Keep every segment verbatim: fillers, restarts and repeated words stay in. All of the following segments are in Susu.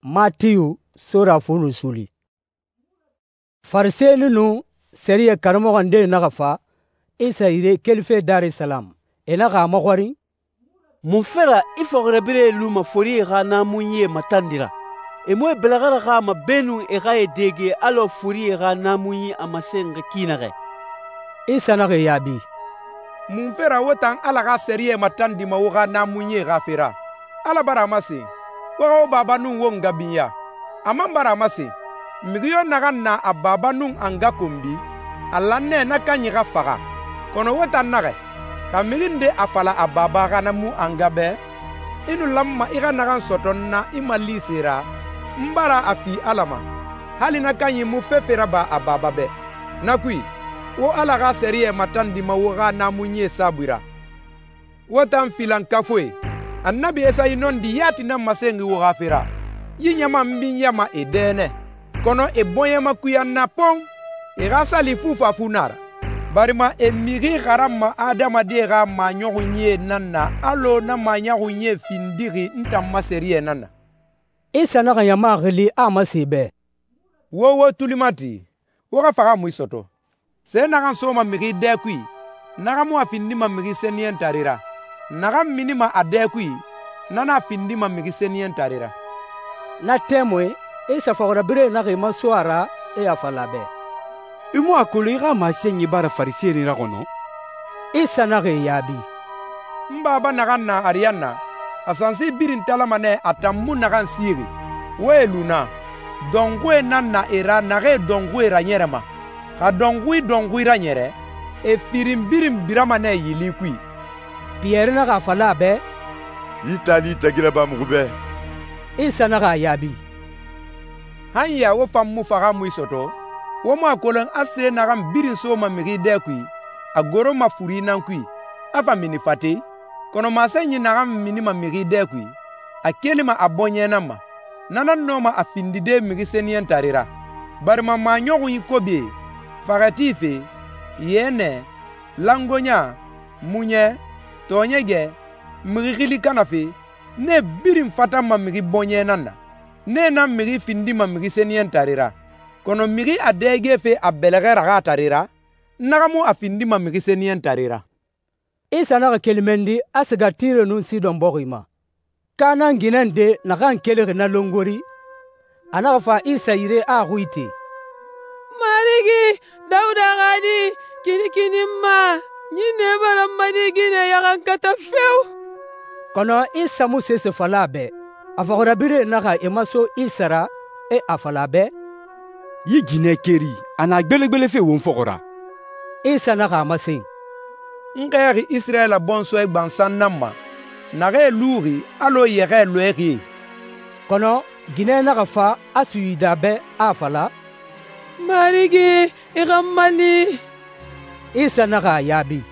Matiyu sura fu nun suuli. Farisɛni nun sɛriyɛ karamɔxɔ ndee naxa fa Isa yire kelife Darisalamu. E naxa a maxɔrin, «Munfe ra i fɔxirabirɛe luma forie xa naamunyie matandi ra? E mu e bɛlɛxɛ raxama beenun e xa e dege alɔ forie xa naamunyi a masenxi ki naxɛ?» Isa naxa e yaabi, «Munfe ra wo tan Ala xa sɛriyɛ matandima wo xa naamunyie xa fe ra? Ala bara a masen, wo xa wo baba nun wo nga binya. A man bara a masen, mixi yo naxan na a baba nun a nga konbi, a lan nɛ na kanyi xa faxa. Kɔnɔ wo tan naxɛ, xa mixi nde a fala a baba xa na mu a nga bɛ, i nu lanma i xa naxan sɔtɔ n na i malise ra, n bara a fi Ala ma, hali na kanyi mu fefe raba a baba bɛ. Na kui, wo Ala xa sɛriyɛ matandima wo xa naamunyie saabui ra. Wo tan filankafuie, Annabi Esayi nɔndi yati nan masenxi wo xa fe ra. Yi ɲama n binyama e dɛ nɛ, kɔnɔ e bɔɲɛma kuyan na pɔn. E xa sali fufafu na ra, barima e mixi xaranma adamadie xa maɲɔxunyie nan na alɔ na maɲɔxunyie findixi n tan ma sɛriyɛ nan na.» Isa naxa ɲama xili a masen e bɛ, «Wo wo tuli mati, wo xa faxamui sɔtɔ. Se naxan soma mixi dɛ kui, na xa mu a findima mixi sɛniyɛntare ra. Naxan minima a dɛ kui, na nan a findima mixi sɛniyɛntare ra.» Na tɛmui, Isa fɔxirabirɛe naxa e maso a ra, e a fala a bɛ, «I mu a kolon i xa masenyi bara Farisɛni raxɔnɔ?» Isa naxa e yaabi, «N Baba naxan na ariyanna, a sansi birin talama nɛ a tan mu naxan sixi. Wo e lu na, dɔnxuie nan na e ra naxee dɔnxuie raɲɛrɛma. Xa dɔnxui dɔnxui raɲɛrɛ, e firin birin birama nɛ yili kui.» Piyɛri naxa a fala a bɛ, «Yi taali tagi raba muxu bɛ.» Isa naxa a yaabi, «Han ya wo fan mu faxamui sɔtɔ? Wo mu a kolon a se naxan birin soma mixi dɛ kui, a goroma furi nan kui, a fa mini fate? Kɔnɔ masenyi naxan minima mixi dɛ kui, a kelima a bɔɲɛ nan ma. Na nan nɔma a findide mixi sɛniyɛntare ra. Barima maɲɔxunyi kobie, faxɛti fe, yɛnɛ, langoɲa, muɲɛ, tɔɔɲɛgɛ, mixi xili kana fe, nee birin fatanma mixi bɔɲɛ nan na. Nee nan mixi findima mixi sɛniyɛntare ra. Kɔnɔ mixi a dɛgefe a bɛlɛxɛ raxatare ra, na xa mu a findima mixi sɛniyɛntare ra.» Isa naxa keli mɛnni a siga Tire nun Sidɔn bɔxi ma. Kanan ginɛ nde naxan kelixi na longori, a naxa fa Isa yire a a xui ite, «Marigi, Dawuda xa di, kinikini n ma. Ɲinnɛ bara n ma di ginɛ yaxankata fewu.» Kɔnɔ Isa mu sese fala a bɛ. A fɔxirabirɛe naxa e maso Isa ra, e a fala a bɛ, «Yi ginɛ keri, a na gbelegbelefe won fɔxɔ ra.» Isa naxa a masen, «N xɛɛxi Isirayɛla bɔnsɔɛ gbansan nan ma, naxee luxi alɔ yɛxɛɛ lɔɛxie.» Kɔnɔ ginɛ naxa fa a suyida bɛ a fala, «Marigi, i xa n mali.» Isa naxa a yaabi,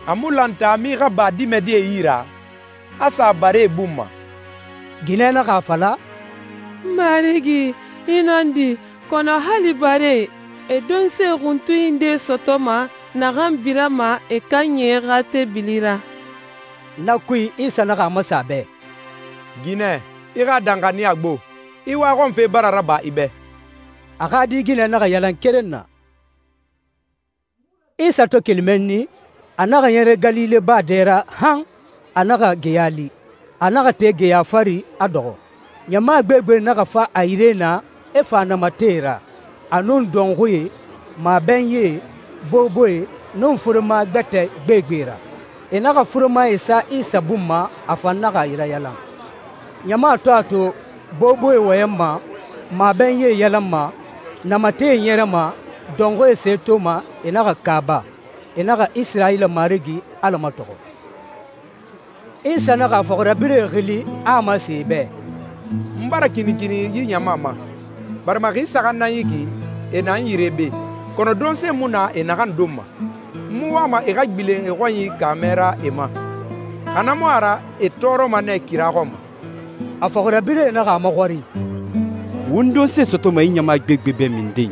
«A mu lan taami xa ba dimɛdie yi ra, a sa baree bun ma.» Ginɛ naxa a fala, «Marigi, i nɔndi, kɔnɔ hali bare, e donse xuntunyi nde sɔtɔma naxan birama e kan ɲɛ xa tebilira.» Na kui Isa naxa a masa a bɛ, «Ginɛ, i xa danxaniya gbo, i waxɔnfe bara raba i bɛ.» A xa di ginɛ naxa yalan keren na. Isa to keli mɛnni, a naxa ɲɛrɛ Galile baa dɛ ra han a naxa geya li. A naxa te geya fari a dɔxɔ. Ɲama gbegbe naxa fa a yire na e fa namatɛe ra, a nun dɔnxuie, mabɛnyie, boboe, nun furema gbɛtɛ gbegbe ra. E naxa furemae sa Isa bun ma, a fan naxa yira yalan. Ɲama to a to boboe wɔyɛnma, mabɛnyie yalanma, namatɛe ɲɛrɛma, dɔnxuie se toma, e naxa kaaba, e naxa Isirayila Marigi Ala matɔxɔ. Isa naxa a fɔxirabirɛe xili a a masen e bɛ, «N bara kinikini yi ɲama ma, barima xi saxan nan yi ki, e na n yire be, kɔnɔ donse mu na e naxan don ma. N mu wama e xa gbilen e xɔnyi kaamɛ ra e ma. Xa na mu a ra e tɔɔrɔma nɛ kira xɔn ma.» A fɔxirabirɛe naxa a maxɔrin, «Won donse sɔtɔma i ɲama gbegbe bɛ minden,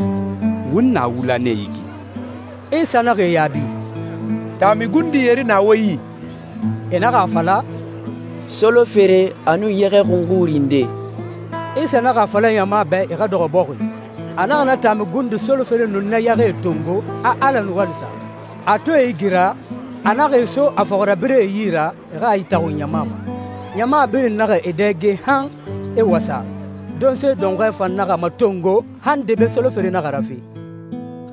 won na wula nɛ yi ki.» Isa naxa e yaabi, «Taami gundi yeri na wo yi.» E naxa a fala, «Solo fere a nun yɛxɛ xunxuri nde.» Isa naxa a fala ɲama bɛ e xa dɔxɔ bɔxi. A naxa na taami gundu solofere nun na yaxɛe tongo a Ala nu wali sa. A to e igira, a naxa e so a fɔxirabirɛe yi ra e xa a itaxun ɲama ma. Ɲama birin naxa e dɛge han e wasa. Donse dɔnxɔɛ fan naxa matongo han debe solofere naxa rafe.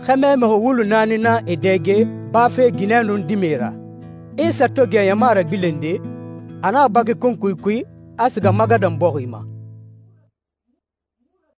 Xɛmɛ mixi wulu naani na e dɛge bafe ginɛ nun dime ra. Isa to gɛ ɲama ragbilende, a naxa baki kunkui kui, a siga Magadan bɔxi ma.